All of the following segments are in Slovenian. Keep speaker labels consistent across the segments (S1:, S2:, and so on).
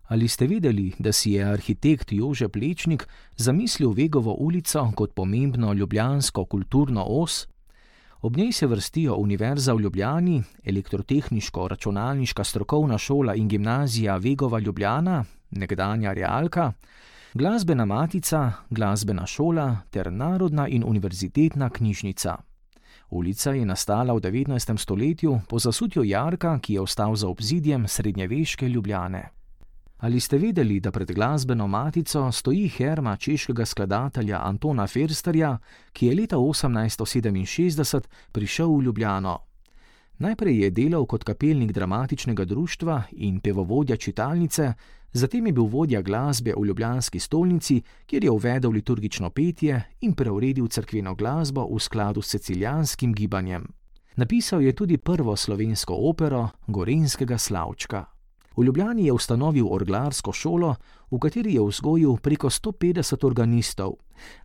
S1: Ali ste vedeli, da si je arhitekt Jože Plečnik zamislil Vegovo ulico kot pomembno ljubljansko kulturno os? Ob njej se vrstijo Univerza v Ljubljani, Elektrotehniško-računalniška strokovna šola in gimnazija Vegova Ljubljana, nekdanja Realka, Glasbena matica, Glasbena šola ter Narodna in univerzitetna knjižnica. Ulica je nastala v 19. stoletju po zasutju jarka, ki je ostal za obzidjem srednjeveške Ljubljane. Ali ste vedeli, da pred Glasbeno matico stoji herma češkega skladatelja Antona Försterja, ki je leta 1867 prišel v Ljubljano? Najprej je delal kot kapelnik dramatičnega društva in pevovodja čitalnice, zatem je bil vodja glasbe v ljubljanski stolnici, kjer je uvedel liturgično petje in preuredil cerkveno glasbo v skladu s cecilijanskim gibanjem. Napisal je tudi prvo slovensko opero Gorenjskega Slavčka. V Ljubljani je ustanovil orglarsko šolo, v kateri je vzgojil preko 150 organistov,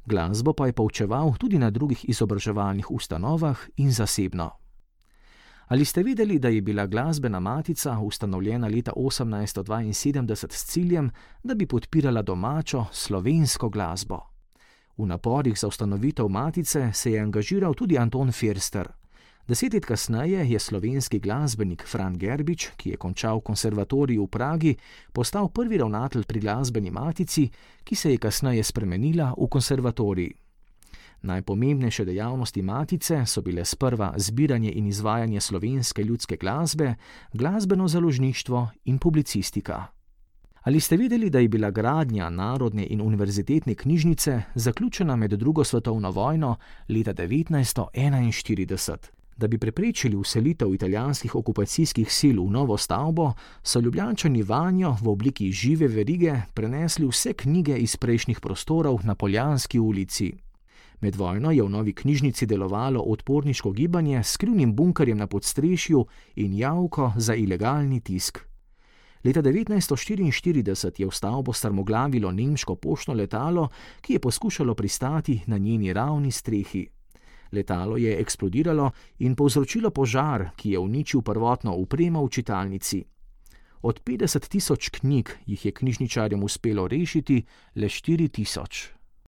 S1: glasbo pa je poučeval tudi na drugih izobraževalnih ustanovah in zasebno. Ali ste vedeli, da je bila Glasbena matica ustanovljena leta 1872 s ciljem, da bi podpirala domačo slovensko glasbo? V naporih za ustanovitev matice se je angažiral tudi Anton Förster. 10 let kasneje je slovenski glasbenik Fran Gerbič, ki je končal konservatorij v Pragi, postal prvi ravnatelj pri Glasbeni matici, ki se je kasneje spremenila v konservatorij. Najpomembnejše dejavnosti matice so bile sprva zbiranje in izvajanje slovenske ljudske glasbe, glasbeno založništvo in publicistika. Ali ste vedeli, da je bila gradnja Narodne in univerzitetne knjižnice zaključena med drugo svetovno vojno leta 1941? Da bi preprečili vselitev italijanskih okupacijskih sil v novo stavbo, so Ljubljančani vanjo v obliki žive verige prenesli vse knjige iz prejšnjih prostorov na Poljanski ulici. Med vojno je v novi knjižnici delovalo odporniško gibanje s skrivnim bunkerjem na podstrešju in javko za ilegalni tisk. Leta 1944 je v stavbo strmoglavilo nemško poštno letalo, ki je poskušalo pristati na njeni ravni strehi. Letalo je eksplodiralo in povzročilo požar, ki je uničil prvotno opremo v čitalnici. Od 50 000 knjig jih je knjižničarjem uspelo rešiti le 4 000.